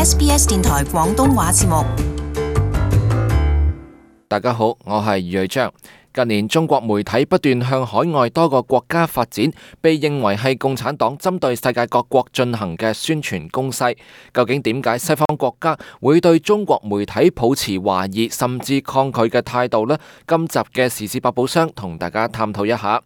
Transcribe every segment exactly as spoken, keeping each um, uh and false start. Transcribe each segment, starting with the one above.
S B S 電台廣東話節目。大家好，我係余瑞章。近年中國媒體不斷向海外多個國家發展，被認為係共產黨針對世界各國進行嘅宣傳攻勢。究竟點解西方國家會對中國媒體抱持懷疑甚至抗拒嘅態度呢？今集嘅時事百寶箱同大家探討一下。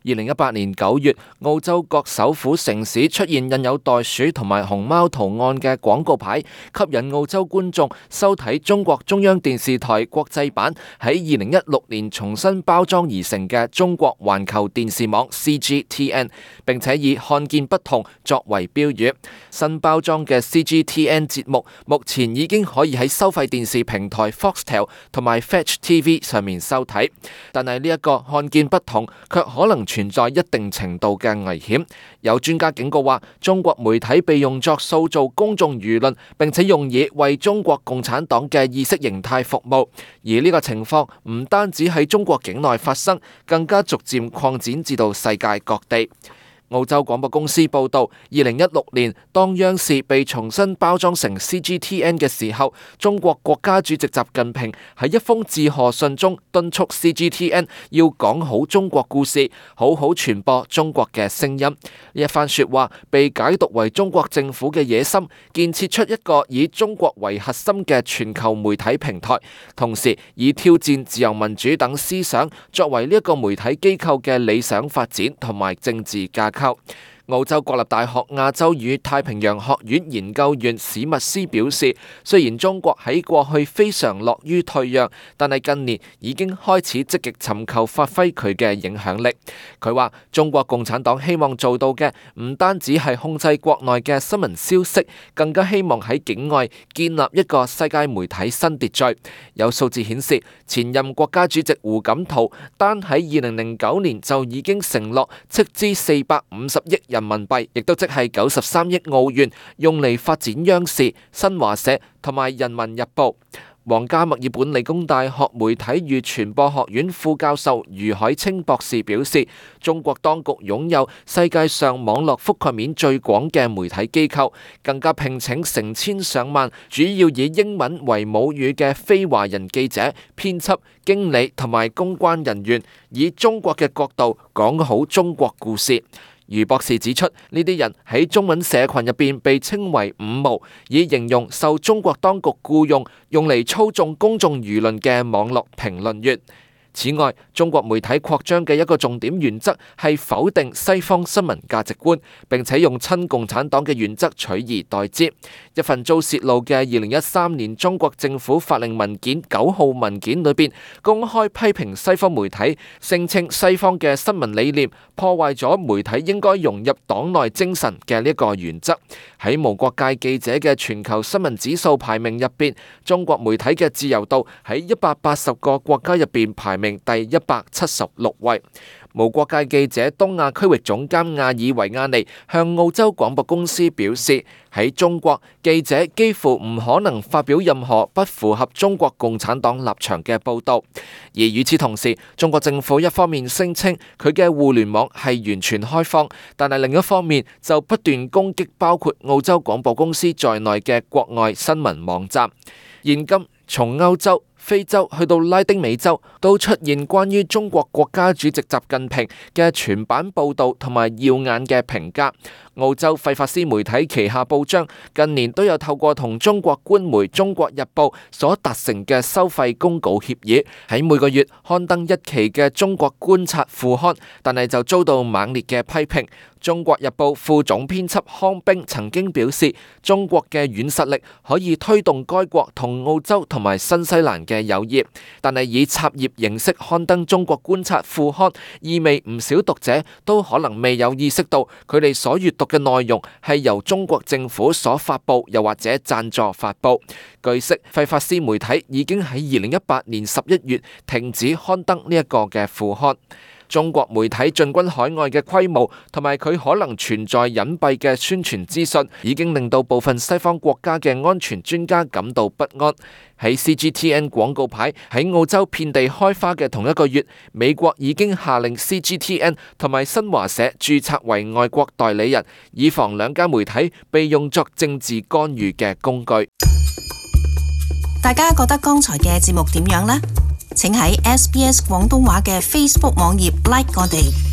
二零一八年九月，澳洲各首府城市出現印有袋鼠同埋熊貓圖案嘅廣告牌，吸引澳洲觀眾收睇中國中央電視台國際版喺二零一六年重新包裝而成嘅中國環球電視網 C G T N， 並且以看見不同作為標語。新包裝嘅 C G T N 節目目前已經可以喺收費電視平台 Foxtel 同埋 Fetch T V 上面收睇，但係呢一個看見不同卻可能存在一定程度嘅危險。有專家警告話，中國媒體被用作塑造公眾輿論，並且用以為中國共產黨嘅意識形態服務。而呢個情況唔單止喺中國境內發生，更加逐漸擴展至到世界各地。澳洲廣播公司報道，二零一六年當央視被重新包裝成 C G T N 嘅時候，中國國家主席習近平喺一封致賀信中敦促 C G T N 要講好中國故事，好好傳播中國嘅聲音。呢一番說話被解讀為中國政府嘅野心，建設出一個以中國為核心嘅全球媒體平台，同時以挑戰自由民主等思想作為呢一個媒體機構嘅理想發展同埋政治架構。澳洲國立大學亞洲與太平洋學院研究員史密斯表示，雖然中國喺過去非常樂於退讓，但係近年已經開始積極尋求發揮佢嘅影響力。佢話中國共產黨希望做到嘅唔單止係控制國內嘅新聞消息，更加希望喺境外建立一個世界媒體新秩序。有數字顯示，前任國家主席胡錦濤單喺二零零九年就已經承諾斥資四百五十億人民幣，亦都即係九十三億澳元，用嚟發展央視、新華社同埋人民日報。皇家墨爾本理工大學媒體與傳播學院副教授余海清博士表示，中國當局擁有世界上網絡覆蓋面最廣嘅媒體機構，更加聘請成千上萬主要以英文為母語嘅非華人記者、編輯、經理同埋公關人員，以中國嘅角度講好中國故事。余博士指出，呢啲人喺中文社群入邊被稱為五毛，以形容受中國當局僱用用嚟操縱公眾輿論嘅網絡評論員。此外，中國媒體擴張嘅一個重點原則係否定西方新聞價值觀，並且用親共產黨嘅原則取而代之。一份遭洩露嘅二零一三年中國政府法令文件九號文件裏邊，公開批評西方媒體，聲稱西方嘅新聞理念破壞咗媒體應該融入黨內精神嘅呢個原則。喺無國界記者嘅全球新聞指數排名入邊，中國媒體嘅自由度喺一百八十個國家入邊排名第一百七十六位。無國界記者東亞區域總監亞爾維亞尼向澳洲廣播公司表示，喺中國，記者幾乎唔可能發表任何不符合中國共產黨立場嘅報導。而與此同時，中國政府一方面聲稱佢嘅互聯網係完全開放，但係另一方面就不斷攻擊包括澳洲廣播公司在內嘅國外新聞網站。現今從歐洲、非洲去到拉丁美洲，都出現關於中國國家主席習近平嘅全版報導同埋耀眼嘅評價。澳洲費法斯媒體旗下報章近年都有透過同中國官媒《中國日報》所達成嘅收費公告協議，喺每個月刊登一期嘅《中國觀察》副刊，但係就遭到猛烈嘅批評。《中國日報》副總編輯康冰曾經表示，中國嘅軟實力可以推動該國同澳洲同埋新西蘭嘅友誼，但係以插頁形式刊登《中國觀察》副刊，意味唔少讀者都可能未有意識到佢哋所閱讀嘅內容係由中國政府所發佈，又或者贊助發佈。據悉，費法斯媒體已經喺二零一八年十一月停止刊登呢一個嘅副刊。中國媒體進軍海外嘅規模同埋佢可能存在隱蔽嘅宣傳資訊，已經令到部分西方國家嘅安全專家感到不安。喺 C G T N 廣告牌喺澳洲遍地開花嘅同一個月，美國已經下令 C G T N 同埋新華社註冊為外國代理人，以防兩家媒體被用作政治干預嘅工具。大家覺得剛才嘅節目點樣呢？請喺 S B S 廣東話嘅 Facebook 網頁 like 我哋。